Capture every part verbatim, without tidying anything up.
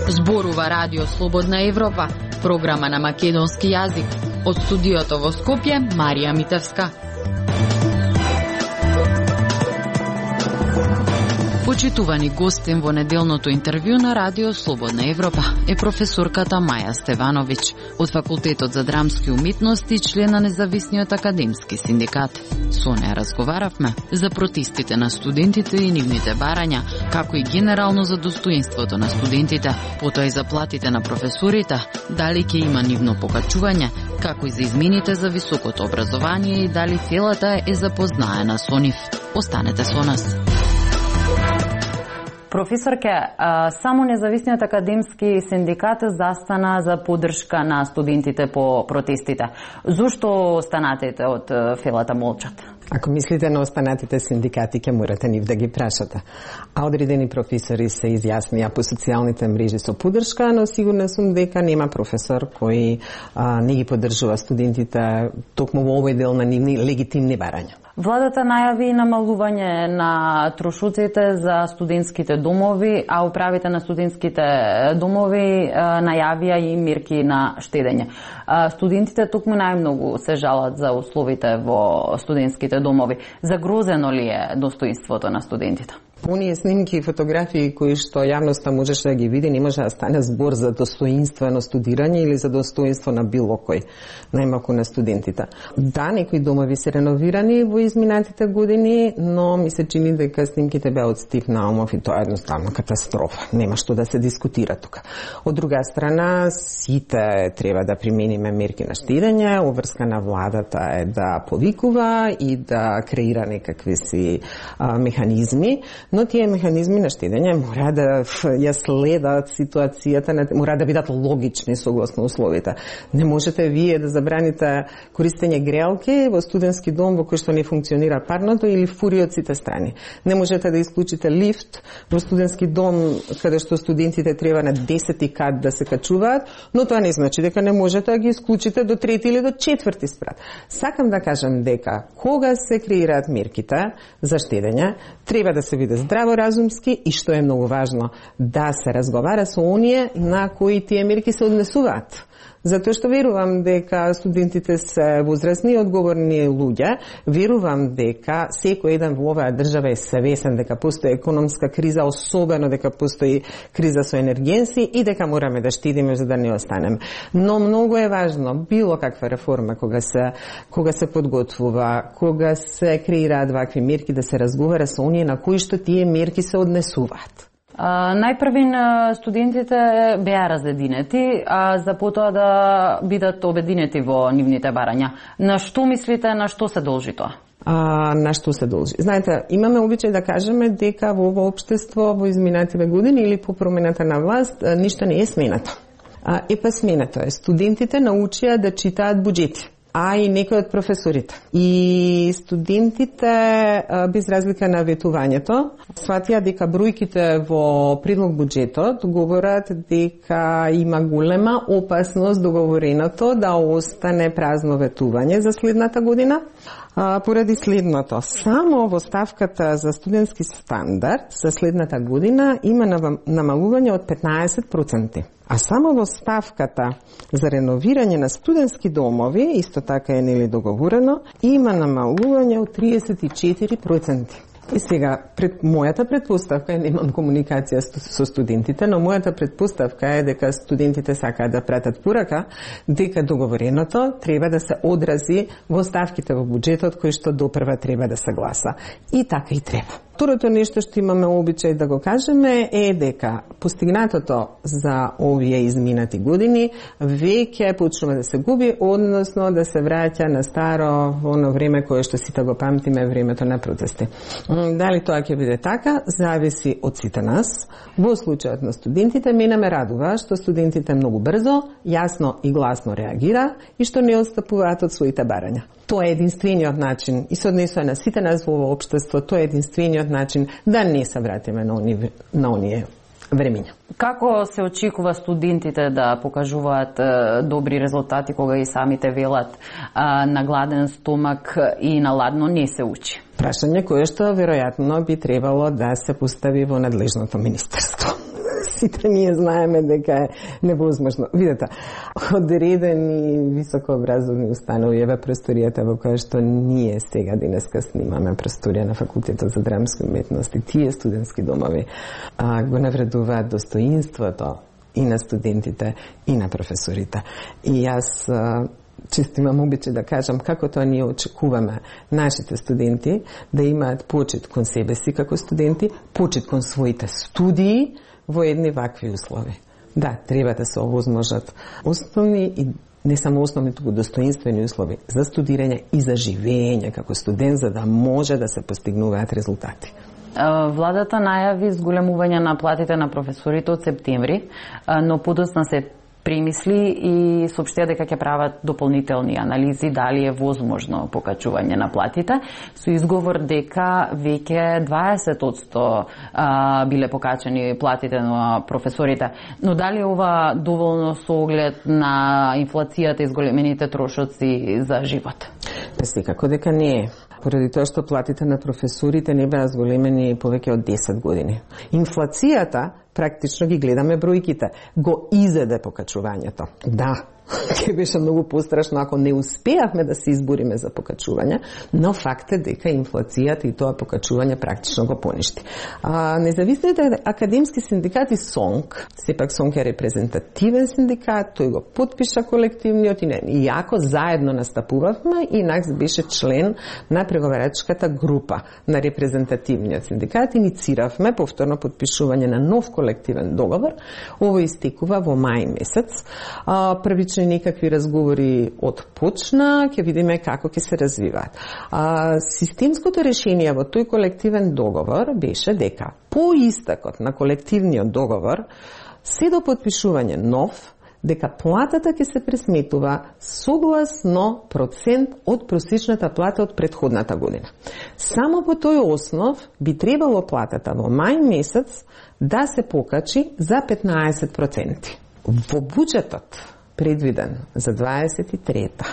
Зборува Радио Слободна Европа, програма на македонски јазик. Од студиото во Скопје, Марија Митевска. Почитувани гостин во неделното интервју на Радио Слободна Европа е професорката Маја Стевановиќ од Факултетот за драмски уметности, член на Независниот академски синдикат. Со неја разговаравме за протестите на студентите и нивните барања, како и генерално за достоинството на студентите, потоа и за платите на професорите, дали ќе има нивно покачување, како и за измените за високото образование и дали целата е запознаена со нив. Останете со нас. Професорке, само Независниот академски синдикат застана за поддршка на студентите по протестите. Зошто останатите од фелата молчат? Ако мислите на останатите синдикати, ќе морате нив да ги прашате. А одредени професори се изјаснија по социјалните мрежи со поддршка, но сигурна сум дека нема професор кој а, не ги поддржува студентите токму во овој дел на нивни легитимни барања. Владата најави намалување на трошоците за студентските домови, а управите на студентските домови најавија и мерки на штедење. Студентите токму најмногу се жалат за условите во студентските домови. Загрозено ли е достоинството на студентите? Оние снимки и фотографии кои што јавноста можеше да ги види, не може да стане збор за достоинствено студирање или за достоинство на било кој, најмалку на студентите. Да, некои домови се реновирани во изминатите години, но ми се чини дека снимките беа од Стив Наумов и тоа е едноставно катастрофа. Нема што да се дискутира тука. Од друга страна, сите треба да примениме мерки на штедење, обврска на владата е да повикува и да креира некакви си а, механизми, но тие механизми на штедење мора да ја следат ситуацијата, мора да бидат логични согласно условите. Не можете вие да забраните користење греалки во студентски дом во кој што не функционира парното или фури од сите страни. Не можете да исклучите лифт во студентски дом каде што студентите треба на десети кат да се качуваат, но тоа не значи дека не можете да ги исклучите до трети или до четврти спрат. Сакам да кажам дека кога се креираат мерките за штедење, треба да се биде здраворазумски и, што е многу важно, да се разговара со оние на кои тие мерки се однесуваат. Затоа што верувам дека студентите се возрастни и одговорни луѓе, верувам дека секој еден во оваа држава е свесен дека постои економска криза, особено дека постои криза со енергенси и дека мораме да штедиме за да не останеме. Но многу е важно било каква реформа кога се кога се подготвува, кога се креираат вакви мерки, да се разговара со оние на кои што тие мерки се однесуваат. Uh, најпрвин uh, студентите беа разединети, а за потоа да бидат обединети во нивните барања. На што мислите, на што се должи тоа? А, на што се должи? Знаете, имаме обичај да кажеме дека во ово општество во изминативе години или по промената на власт ништо не е сменато. А, е па сменато е. Студентите научија да читаат буџети, а и некои од професорите. И студентите, без разлика на ветувањето, сватија дека бројките во предлог буџетот говорат дека има голема опасност договореното да остане празно ветување за следната година. А, поради следното, само во ставката за студентски стандард за следната година има намалување од петнаесет проценти. А само во ставката за реновирање на студентски домови, исто така е нели договорено, има намалување од триесет и четири проценти. И сега, пред мојата предпоставка е, немам комуникација со студентите, но мојата предпоставка е дека студентите сакаат да пратат порака, дека договореното треба да се одрази во ставките во буџетот кој што допрва треба да се гласа. И така и треба. Второто нешто што имаме обичај да го кажеме е дека постигнатото за овие изминати години веќе почнува да се губи, односно да се враќа на старо оно време кое што сите го памтиме, времето на протести. Дали тоа ќе биде така, зависи од сите нас. Во случајот на студентите, мене ме радува што студентите многу брзо, јасно и гласно реагира и што не отстапуваат од своите барања. Тоа е единствениот начин и се однесува на сите нас во ово општество, тоа е единствениот начин да не се вратиме на оние, на оние времења. Како се очекува студентите да покажуваат е, добри резултати кога и самите велат е, на гладен стомак и на ладно не се учи? Прашање кое што веројатно би требало да се постави во надлежното министерство. Сите ние знаеме дека е невозможно. Видете, одредени високообразовни установи, еве просторијата во која што ние сега денеска снимаме, просторија на Факултетот за драмски уметности, тие студентски домови а, го навредуваат достоинството и на студентите и на професорите. И јас а, често имам обичај да кажам како тоа ние очекуваме нашите студенти да имаат почит кон себе си како студенти, почит кон своите студии во едни вакви услови. Да, треба да се овозможат основни и не само основни, туку достоинствени услови за студирање и за живење како студент, за да може да се постигнуваат резултати. Владата најави зголемување на платите на професорите од септември, но подоцна се премисли и соопштија дека ќе прават дополнителни анализи дали е возможно покачување на платите, со изговор дека веќе дваесет одсто биле покачени платите на професорите. Но дали ова доволно со оглед на инфлацијата и зголемените трошоци за живот? Секако дека не е. Поради тоа што платите на професорите не беа зголемени повеќе од десет години. Инфлацијата, практично ги гледаме бројките, го изеде покачувањето. Да, ќе беше многу пострашно ако не успеавме да се избориме за покачување, но факт е дека инфлацијата и тоа покачување практично го поништи. А, независните академски синдикати СОНК, сепак СОНК е репрезентативен синдикат, тој го потпиша колективниот и не. Иако заедно настапувавме и НАКС беше член на преговарачката група на репрезентативниот синдикат, иницииравме повторно потпишување на нов колективен договор. Ово истекува во мај месец. А, првично некакви разговори отпочна, ќе видиме како ќе се развиваат. А, системското решение во тој колективен договор беше дека по истекот на колективниот договор се до потпишување нов, дека платата ќе се пресметува согласно процент од просечната плата од претходната година. Само по тој основ би требало платата во мај месец да се покачи за петнаесет проценти. Во буџетот предвиден за дваесет и трета.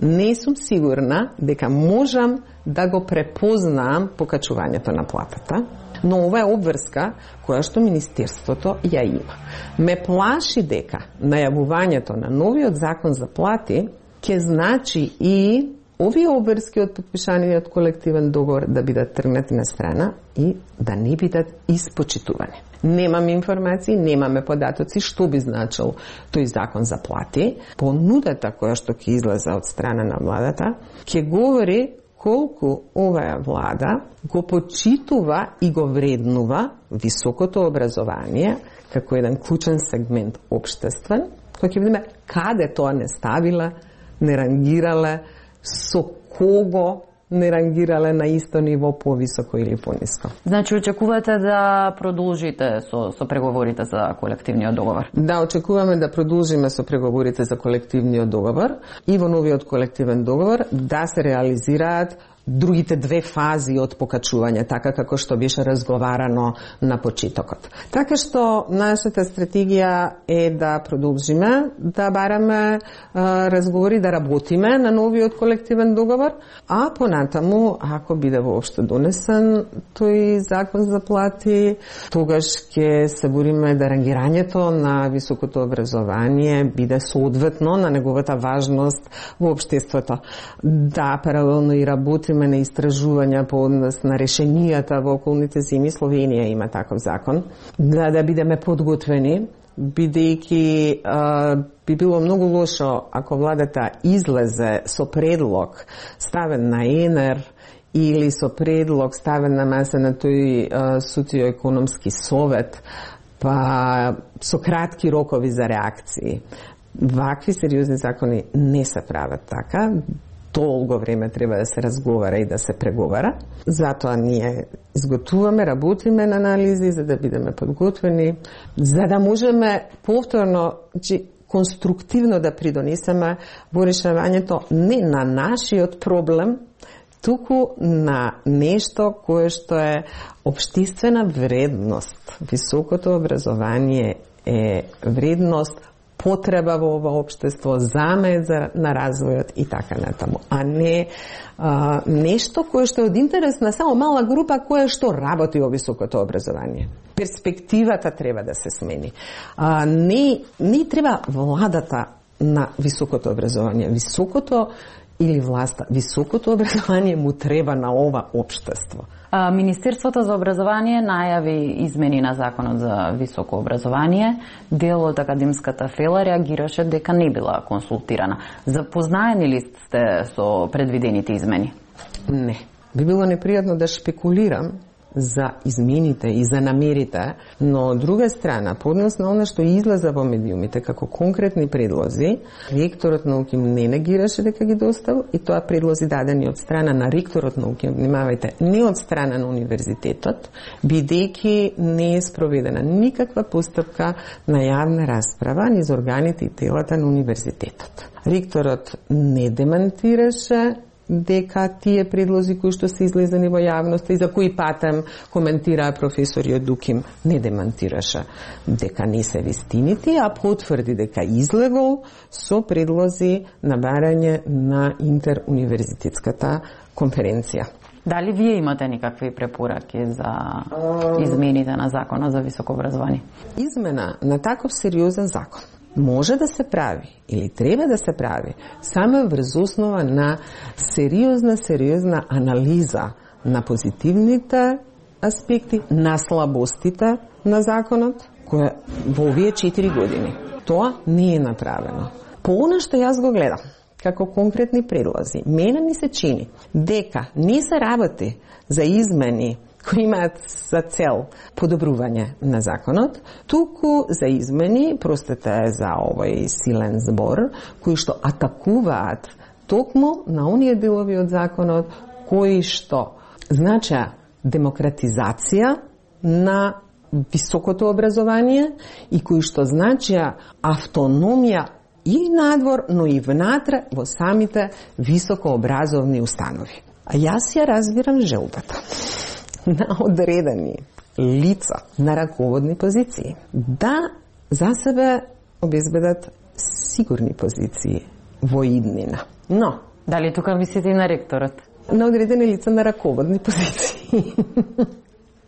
Не сум сигурна дека можам да го препознаам покачувањето на платата, но ова е обврска која што Министерството ја има. Ме плаши дека најавувањето на новиот закон за плати ќе значи и овие обврски од потпишаниот колективен договор да бидат тргнати на страна и да не бидат испочитувани. Немаме информации, немаме податоци што би значил тој закон за плати. Понудата која што ќе излезе од страна на владата ќе говори колку оваа влада го почитува и го вреднува високото образование како еден клучен сегмент општествен, кој ќе видиме каде тоа не ставила, не рангирала, со кого не рангирале на исто ниво, повисоко или пониско. Значи, очекувате да продолжите со, со преговорите за колективниот договор? Да, очекуваме да продолжиме со преговорите за колективниот договор и во новиот колективен договор да се реализираат другите две фази од покачување, така како што беше разговарано на почетокот. Така што нашата стратегија е да продолжиме, да бараме а, разговори, да работиме на новиот колективен договор, а понатаму, ако биде воопшто донесен тој закон за плати, тогаш ќе се бориме да рангирањето на високото образование биде соодветно на неговата важност во општеството. Да, паралелно и работи на истражувања по однос на решенијата во околните земји. Словенија има таков закон. Да, да бидеме подготвени, бидејќи а, би било многу лошо ако владата излезе со предлог ставен на ЕНЕР или со предлог ставен на маса на тој социоекономски совет, па со кратки рокови за реакции. Вакви сериозни закони не се прават така. Долго време треба да се разговара и да се преговара. Затоа ние изготвуваме, работиме на анализи за да бидеме подготвени, за да можеме повторно, че конструктивно да придонесеме во решавањето не на нашиот проблем, туку на нешто кое што е општествена вредност. Високото образование е вредност, потреба во ова општество, замет на развојот и така натаму, а не а, нешто кое што е од интерес на само мала група која што работи во високото образование. Перспективата треба да се смени. А, не, не треба владата на високото образование. Високото или власта, високото образование му треба на ова општество. Министерството за образование најави измени на Законот за високо образование. Дел од академската фела реагираше дека не била консултирана. Запознаени ли сте со предвидените измени? Не. Би било непријатно да шпекулирам за измените и за намерите, но од друга страна, по однос на она што излеза во медиумите како конкретни предлози, ректорот на УКИМ не негираше дека ги доставил и тоа предлози дадени од страна на ректорот на УКИМ, внимавајте, не од страна на универзитетот, бидејќи не е спроведена никаква постапка на јавна расправа низ органите и телата на универзитетот. Ректорот не демантираше дека тие предлози кои што се излезени во јавноста и за кои патем коментираа професори од УКИМ не демантираше дека не се вистините, а потврди дека излегол со предлози на барање на интеруниверзитетската конференција. Дали вие имате никакви препораки за измените на Законот за високо образование? Измена на таков сериозен закон може да се прави или треба да се прави само врз основа на сериозна, сериозна анализа на позитивните аспекти, на слабостите на законот, која во овие четири години. Тоа не е направено. По она што јас го гледам, како конкретни предлози, мене ми се чини дека не се работи за измени кои имаат за цел подобрување на законот, туку за измени, простете за овој силен збор, кои што атакуваат токму на оние делови од законот кои што знача демократизација на високото образование и кои што знача автономија и надвор, но и внатре во самите високообразовни установи. А јас ја разбирам желбата на одредени лица на раководни позиции да за себе обезбедат сигурни позиции во иднина. Но дали тука мислите и на ректорот? На одредени лица на раководни позиции.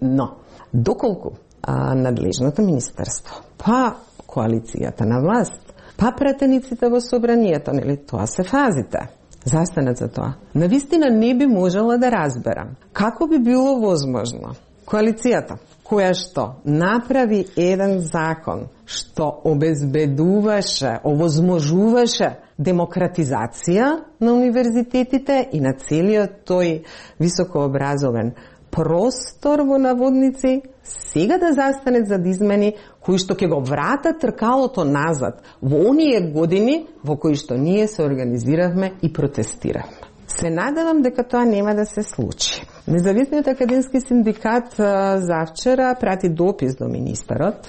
Но доколку а, надлежното министерство, па коалицијата на власт, па пратениците во собранието, нели тоа се фазите, застанат за тоа. Навистина не би можела да разберам како би било возможно коалицијата која што направи еден закон што обезбедуваше, овозможуваше демократизација на универзитетите и на целиот тој високообразовен простор во наводници, сега да застанет за измени кои што ќе го вратат тркалото назад во оние години во кои што ние се организиравме и протестиравме. Се надевам дека тоа нема да се случи. Независниот академски синдикат завчера прати допис до министерот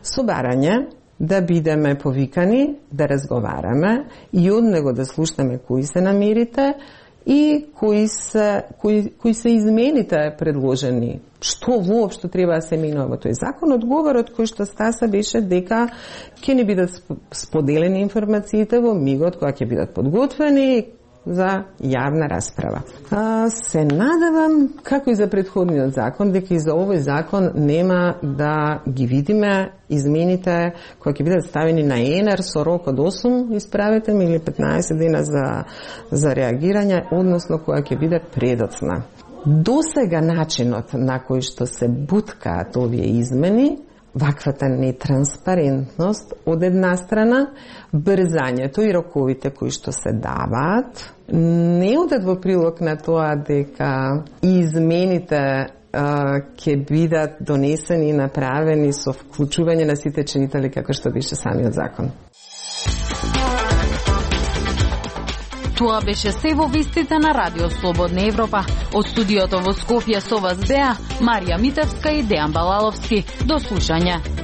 со барање да бидеме повикани, да разговараме и од него да слушнеме кои се намерите и кои се, кои, кои се измените предложени. Што воопшто треба да се менува во тој закон? Одговорот кој што стаса беше дека ќе не бидат споделени информациите во мигот кога ќе бидат подготвени за јавна расправа. А, се надевам, како и за претходниот закон, дека и за овој закон нема да ги видиме измените кои ќе бидат ставени на ЕНЕР со рок од осум, исправете ми, или петнаесет дена за, за реагирање, односно која ќе биде предоцна. До сега начинот на кој што се буткаат овие измени, ваквата нетранспарентност од една страна, брзањето и роковите кои што се даваат, не одат во прилог на тоа дека измените ќе бидат донесени и направени со вклучување на сите чинители како што беше самиот закон. Тоа беше се во вестите на Радио Слободна Европа. Од студиото во Скопје со вас беа Марија Митевска и Дејан Балаловски. До слушање.